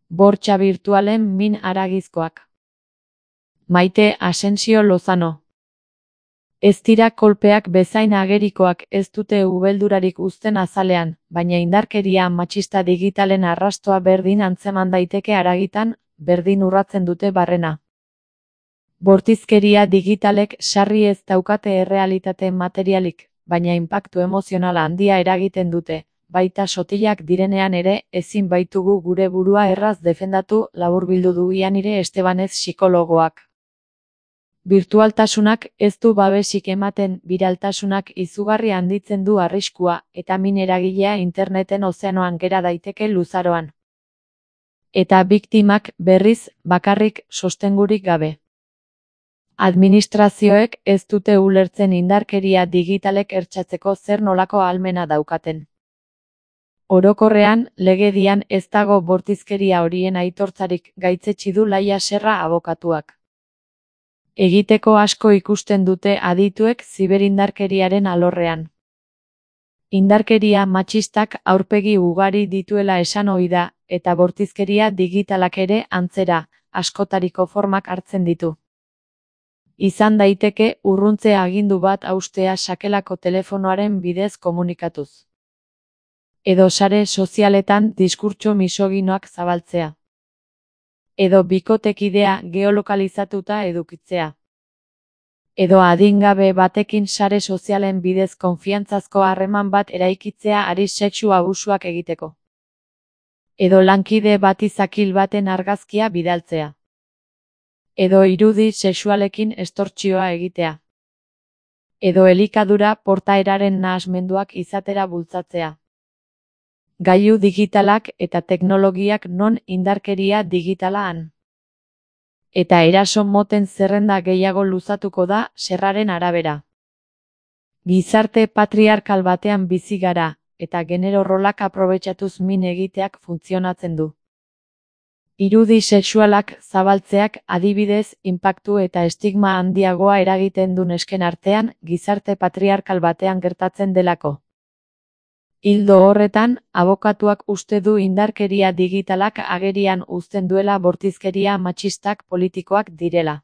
Bortxa birtualen min haragizkoak. Maite Asensio Lozano. Ez dira kolpeak bezain agerikoak, ez dute ubeldurarik uzten azalean, baina indarkeria matxista digitalen arrastoa berdin antzeman daiteke haragitan, berdin urratzen dute barrena. Bortizkeria digitalek sarri ez daukate errealitate materialik, baina inpaktu emozionala handia eragiten dute, baita sotilak direnean ere, ezin baitugu gure burua erraz defendatu, laburbildu du Ianire Estebanez psikologoak. Birtualtasunak ez du babesik ematen, biraltasunak izugarri handitzen du arriskua, eta min eragilea interneten ozeanoan gera daiteke luzaroan. Eta biktimak, berriz, bakarrik sostengurik gabe. Administrazioek ez dute ulertzen indarkeria digitalek ertsatzeko zer nolako ahalmena daukaten. Orokorrean, legedian ez dago bortizkeria horien aitortzarik, gaitzetsi du Laia Serra abokatuak. Egiteko asko ikusten dute adituek ziberindarkeriaren alorrean. Indarkeria matxistak aurpegi ugari dituela esan ohi da, eta bortizkeria digitalak ere antzera, askotariko formak hartzen ditu. Izan daiteke urruntze agindu bat haustea sakelako telefonoaren bidez komunikatuz. Edo sare sozialetan diskurtso misoginoak zabaltzea. Edo bikotekidea geolokalizatuta edukitzea. Edo adingabe batekin sare sozialen bidez konfiantzazko harreman bat eraikitzea ari sexu abusuak egiteko. Edo lankide bati zakil baten argazkia bidaltzea. Edo irudi sexualekin estortsioa egitea. Edo elikadura portaeraren nahasmenduak izatera bultzatzea. Gailu digitalak eta teknologiak non indarkeria digitala han. Eta eraso moten zerrenda gehiago luzatuko da Serraren arabera. Gizarte patriarkal batean bizi gara, eta genero rolak aprobetxatuz min egiteak funtzionatzen du. Irudi sexualak zabaltzeak adibidez, inpaktu eta estigma handiagoa eragiten du nesken artean, gizarte patriarkal batean gertatzen delako. Ildo horretan, abokatuak uste du indarkeria digitalak agerian uzten duela bortizkeria matxistak politikoak direla.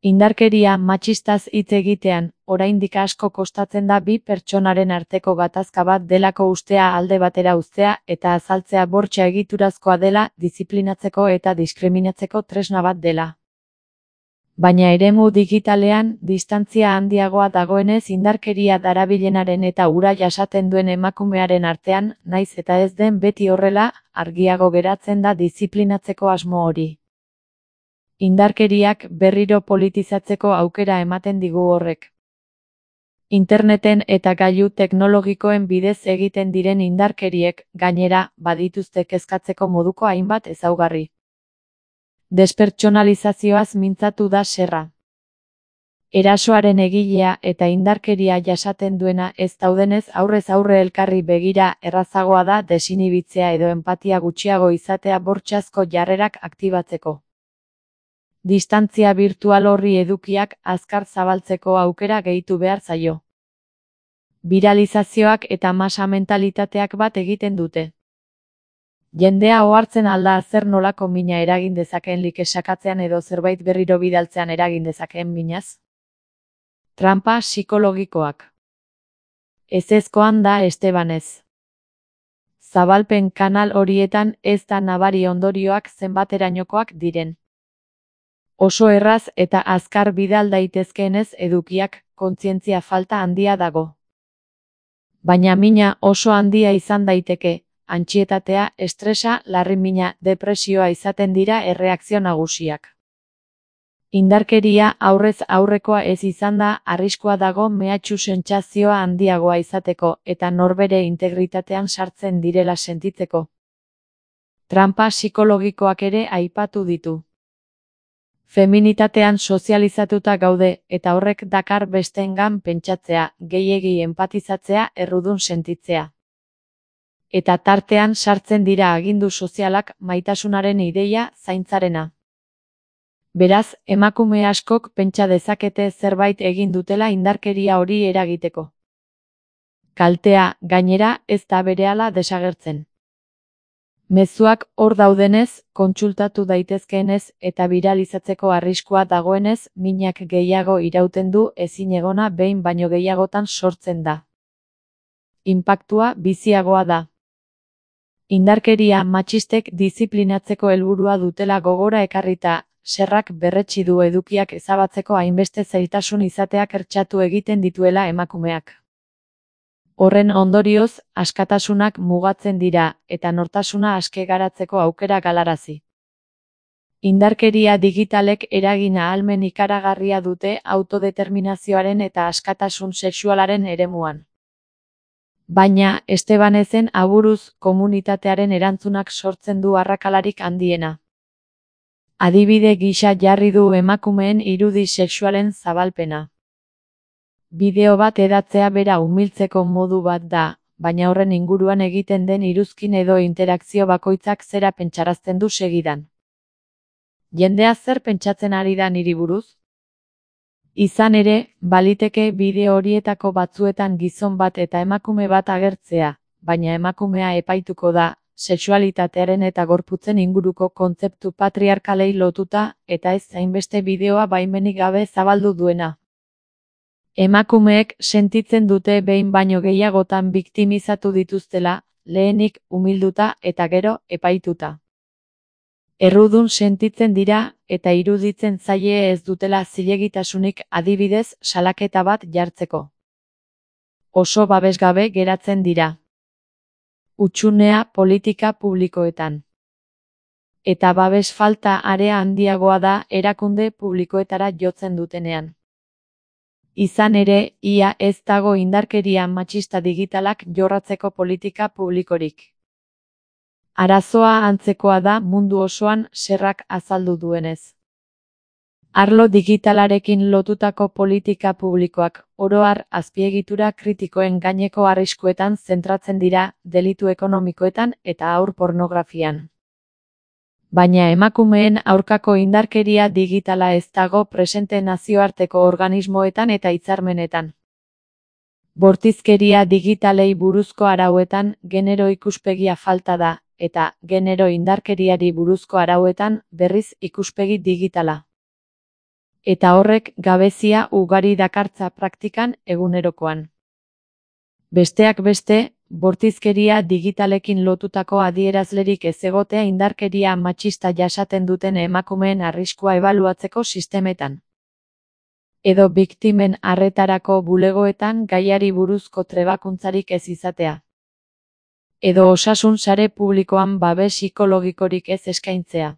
Indarkeria matxistaz hitz egitean, oraindik asko kostatzen da bi pertsonaren arteko gatazka bat delako ustea alde batera uztea eta azaltzea bortxa egiturazkoa dela, diziplinatzeko eta diskriminatzeko tresna bat dela. Baina eremu digitalean, distantzia handiagoa dagoenez indarkeria darabilenaren eta ura jasaten duen emakumearen artean, naiz eta ez den beti horrela, argiago geratzen da diziplinatzeko asmo hori. Indarkeriak berriro politizatzeko aukera ematen digu horrek. Interneten eta gailu teknologikoen bidez egiten diren indarkeriek, gainera, badituzte kezkatzeko moduko hainbat ezaugarri. Despertsonalizazioaz mintzatu da Serra. Erasoaren egilea eta indarkeria jasaten duena ez daudenez aurrez aurre elkarri begira errazagoa da desinibitzea edo enpatia gutxiago izatea bortxazko jarrerak aktibatzeko. Distantzia birtual horri edukiak azkar zabaltzeko aukera gehitu behar zaio. Biralizazioak eta masa mentalitateak bat egiten dute. Jendea ohartzen alda zer nolako mina eragin dezakeen like sakatzean edo zerbait berriro bidaltzean eragin dezakeen minaz? Tranpa psikologikoak. Ezezkoan da Estebanez. Zabalpen kanal horietan ez da nabari ondorioak zenbaterainokoak diren. Oso erraz eta azkar bidal daitezkeenez edukiak, kontzientzia falta handia dago. Baina mina oso handia izan daiteke. Antsietatea, estresa, larri-mina, depresioa izaten dira erreakzio nagusiak. Indarkeria aurrez aurrekoa ez izan da, arriskua dago mehatxu sentsazioa handiagoa izateko eta norbere integritatean sartzen direla sentitzeko. Tranpa psikologikoak ere aipatu ditu. Feminitatean sozializatuta gaude eta horrek dakar besteengan pentsatzea, gehiegi enpatizatzea, errudun sentitzea. Eta tartean sartzen dira agindu sozialak, maitasunaren ideia, zaintzarena. Beraz, emakume askok pentsa dezakete zerbait egin dutela indarkeria hori eragiteko. Kaltea, gainera, ez da berehala desagertzen. Mezuak hor daudenez, kontsultatu daitezkeenez eta biralizatzeko arriskua dagoenez, minak gehiago irauten du ezinegona behin baino gehiagotan sortzen da. Inpaktua biziagoa da. Indarkeria matxistek diziplinatzeko helburua dutela gogora ekarrita, Serrak berretsi du edukiak ezabatzeko hainbeste zailtasun izateak hertsatu egiten dituela emakumeak. Horren ondorioz, askatasunak mugatzen dira, eta nortasuna aske garatzeko aukera galarazi. Indarkeria digitalek eragin ahalmen ikaragarria dute autodeterminazioaren eta askatasun sexualaren eremuan. Baina, Estebanezen aburuz komunitatearen erantzunak sortzen du arrakalarik handiena. Adibide gisa jarri du emakumeen irudi sexualen zabalpena. Bideo bat edatzea bera umiltzeko modu bat da, baina horren inguruan egiten den iruzkin edo interakzio bakoitzak zera pentsarazten du segidan. Jendea zer pentsatzen ari da niri buruz? Izan ere, baliteke bideo horietako batzuetan gizon bat eta emakume bat agertzea, baina emakumea epaituko da, sexualitatearen eta gorputzen inguruko kontzeptu patriarkalei lotuta, eta ez hainbeste bideoa baimenik gabe zabaldu duena. Emakumeek sentitzen dute behin baino gehiagotan biktimizatu dituztela, lehenik umilduta eta gero epaituta. Errudun sentitzen dira eta iruditzen zaie ez dutela zilegitasunik adibidez salaketa bat jartzeko. Oso babesgabe geratzen dira. Hutsunea politika publikoetan. Eta babes falta area handiagoa da erakunde publikoetara jotzen dutenean. Izan ere, ia ez dago indarkeria matxista digitalak jorratzeko politika publikorik. Arazoa antzekoa da mundu osoan Serrak azaldu duenez. Arlo digitalarekin lotutako politika publikoak, oro har azpiegitura kritikoen gaineko arriskuetan zentratzen dira, delitu ekonomikoetan eta haur pornografian. Baina emakumeen aurkako indarkeria digitala ez dago presente nazioarteko organismoetan eta hitzarmenetan. Bortizkeria digitalei buruzko arauetan genero ikuspegia falta da, eta genero indarkeriari buruzko arauetan berriz ikuspegi digitala. Eta horrek gabezia ugari dakartza praktikan egunerokoan. Besteak beste, bortizkeria digitalekin lotutako adierazlerik ez egotea indarkeria matxista jasaten duten emakumeen arriskua ebaluatzeko sistemetan. Edo biktimen arretarako bulegoetan gaiari buruzko trebakuntzarik ez izatea. Edo osasun sare publikoan babes psikologikorik ez eskaintzea.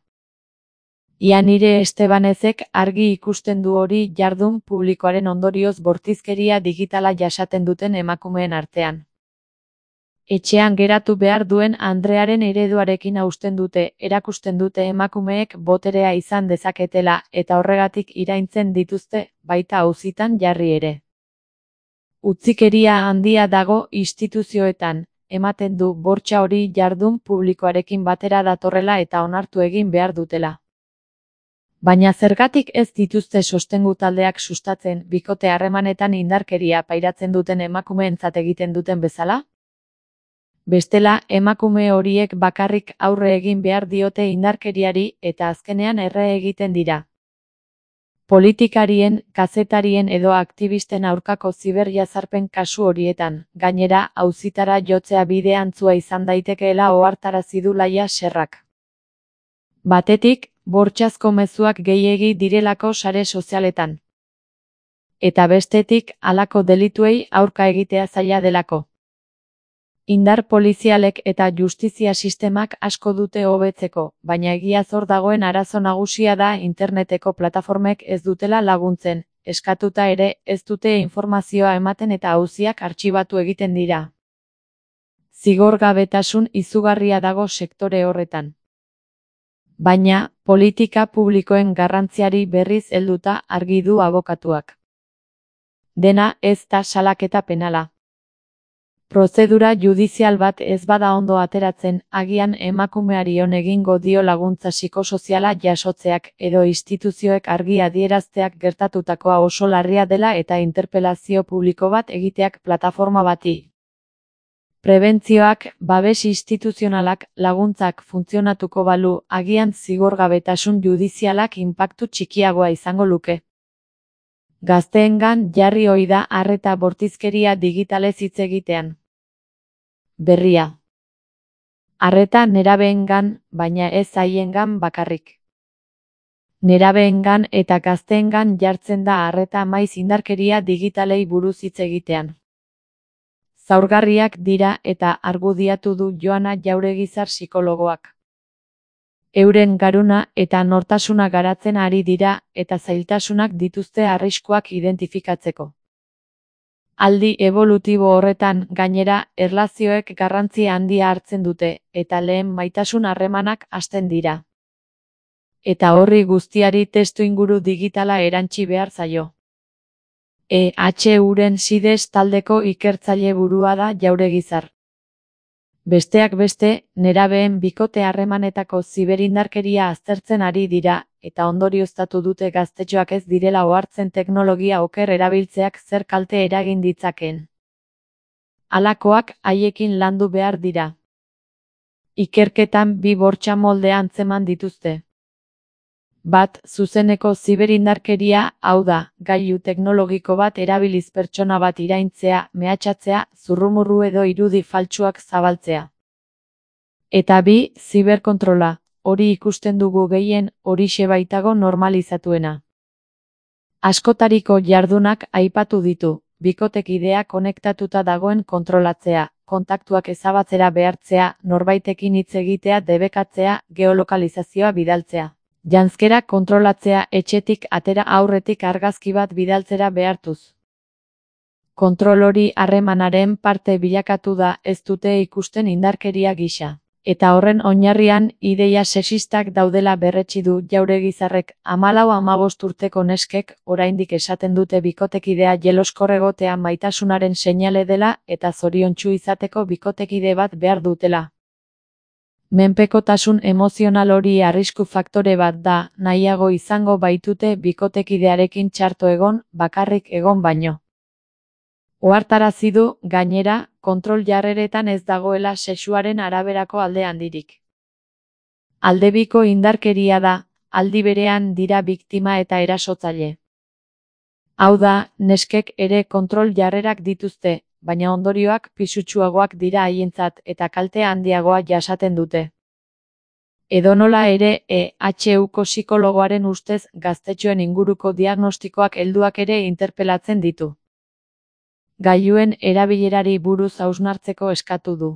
Ia nire Estebanezek argi ikusten du hori jardun publikoaren ondorioz bortizkeria digitala jasaten duten emakumeen artean. Etxean geratu behar duen andrearen ereduarekin hausten dute, erakusten dute emakumeek boterea izan dezaketela eta horregatik iraintzen dituzte, baita auzitan jarri ere. Utzikeria handia dago instituzioetan, ematen du bortxa hori jardun publikoarekin batera datorrela eta onartu egin behar dutela. Baina zergatik ez dituzte sostengu taldeak sustatzen bikote harremanetan indarkeria pairatzen duten emakumeentzat egiten duten bezala? Bestela, emakume horiek bakarrik aurre egin behar diote indarkeriari eta azkenean erre egiten dira. Politikarien, kazetarien edo aktivisten aurkako ziberjazarpen kasu horietan, gainera, auzitara jotzea bide antzua izan daitekeela ohartarazi du Laia Serrak. Batetik, bortxazko mezuak gehiegi direlako sare sozialetan. Eta bestetik, halako delituei aurka egitea zaila delako. Indar polizialek eta justizia sistemak asko dute hobetzeko, baina egia zor dagoen arazo nagusia da interneteko plataformek ez dutela laguntzen, eskatuta ere ez dute informazioa ematen eta auziak artxibatu egiten dira. Zigorgabetasun izugarria dago sektore horretan. Baina, politika publikoen garrantziari berriz helduta argi du abokatuak. Dena ez da salaketa penala. Prozedura judizial bat ez bada ondo ateratzen, agian emakumeari on egingo dio laguntza psikosoziala jasotzeak edo instituzioek argi adierazteak gertatutakoa oso larria dela eta interpelazio publiko bat egiteak plataforma bati. Prebentzioak, babes instituzionalak, laguntzak funtzionatuko balu, agian zigorgabetasun judizialak inpaktu txikiagoa izango luke. Gazteengan jarri ohi da arreta bortizkeria digitalez hitz egitean. Berria. Arreta nerabeengan, baina ez haiengan bakarrik. Nerabeengan eta gazteengan jartzen da arreta maiz indarkeria digitalei buruz hitz egitean. Zaurgarriak dira eta argudiatu du Joana Jauregizar psikologoak. Euren garuna eta nortasuna garatzen ari dira eta zailtasunak dituzte arriskuak identifikatzeko. Aldi evolutibo horretan, gainera, erlazioek garrantzi handia hartzen dute eta lehen maitasun harremanak hasten dira. Eta horri guztiari testuinguru digitala erantsi behar zaio. EHUren SIDES taldeko ikertzaile burua da Jauregizar. Besteak beste, nerabeen bikote harremanetako ziberindarkeria aztertzen ari dira, eta ondorioztatu dute gaztetxoak ez direla ohartzen teknologia oker erabiltzeak zer kalte eragin ditzakeen. Halakoak haiekin landu behar dira. Ikerketan bi bortxa molde antzeman dituzte. Bat, zuzeneko ziberindarkeria, hau da, gailu teknologiko bat erabiliz pertsona bat iraintzea, mehatxatzea, zurrumurru edo irudi faltsuak zabaltzea. Eta bi, ziberkontrola, hori ikusten dugu gehien, horixe baitago normalizatuena. Askotariko jardunak aipatu ditu, bikotekidea konektatuta dagoen kontrolatzea, kontaktuak ezabatzera behartzea, norbaitekin hitz egitea debekatzea, geolokalizazioa bidaltzea. Janzkera kontrolatzea etxetik atera aurretik argazki bat bidaltzera behartuz. Kontrol hori harremanaren parte bilakatu da, ez dute ikusten indarkeria gisa. Eta horren oinarrian ideia sexistak daudela berretsi du Jauregizarrek. 14-15 urteko neskek oraindik esaten dute bikotekidea jeloskor egotea maitasunaren seinale dela eta zoriontsu izateko bikotekide bat behar dutela. Menpekotasun emozional hori arrisku faktore bat da, nahiago izango baitute bikotekidearekin txarto egon, bakarrik egon baino. Ohartarazi du, gainera, kontrol jarreretan ez dagoela sexuaren araberako alde handirik. Aldebiko indarkeria da, aldi berean dira biktima eta erasotzaile. Hau da, neskek ere kontrol jarrerak dituzte, baina ondorioak pisutsuagoak dira haientzat eta kalte handiagoa jasaten dute. Edonola ere, EHUko psikologoaren ustez gaztetxoen inguruko diagnostikoak helduak ere interpelatzen ditu. Gailuen erabilerari buruz hausnartzeko eskatu du.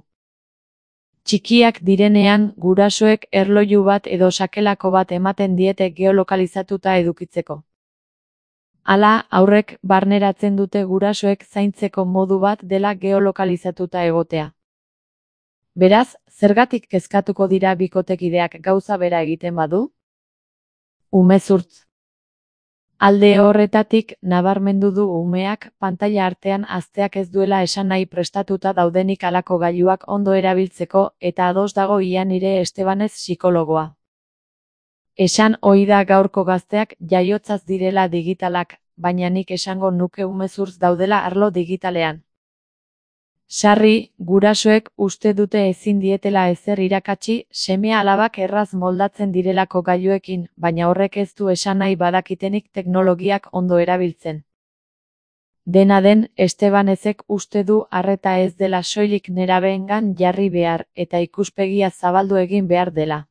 Txikiak direnean, gurasoek erloju bat edo sakelako bat ematen diete geolokalizatuta edukitzeko. Hala, haurrek barneratzen dute gurasoek zaintzeko modu bat dela geolokalizatuta egotea. Beraz, zergatik kezkatuko dira bikotekideak gauza bera egiten badu? Umezurtz. Alde horretatik, nabarmendu du umeak pantaila artean hazteak ez duela esan nahi prestatuta daudenik halako gailuak ondo erabiltzeko eta ados dago Ianire Estebanez psikologoa. Esan ohi da gaurko gazteak jaiotzaz direla digitalak, baina nik esango nuke umezurtz daudela arlo digitalean. Sarri, gurasoek uste dute ezin dietela ezer irakatsi, seme-alabak erraz moldatzen direlako gailuekin, baina horrek ez du esan nahi badakitenik teknologiak ondo erabiltzen. Dena den, Estebanezek uste du arreta ez dela soilik nerabeengan jarri behar eta ikuspegia zabaldu egin behar dela.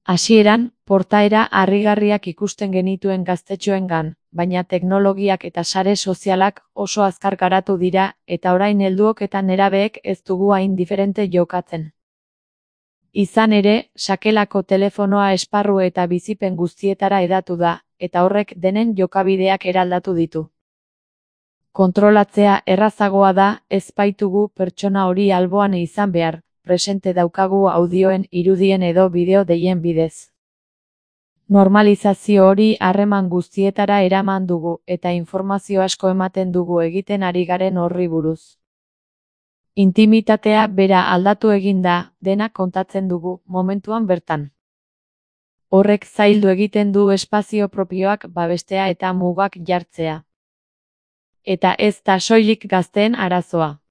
Hasieran, portaera harrigarriak ikusten genituen gaztetxoengan, baina teknologiak eta sare sozialak oso azkar garatu dira eta orain helduok eta nerabeek ez dugu hain diferente jokatzen. Izan ere, sakelako telefonoa esparru eta bizipen guztietara hedatu da, eta horrek denen jokabideak eraldatu ditu. Kontrolatzea errazagoa da, ez baitugu pertsona hori alboan izan behar, presente daukagu audioen, irudien edo bideo deien bidez. Normalizazio hori harreman guztietara eraman dugu eta informazio asko ematen dugu egiten ari garen horri buruz. Intimitatea bera aldatu egin da, dena kontatzen dugu, momentuan bertan. Horrek zaildu egiten du espazio propioak babestea eta mugak jartzea. Eta ez da soilik gazteen arazoa.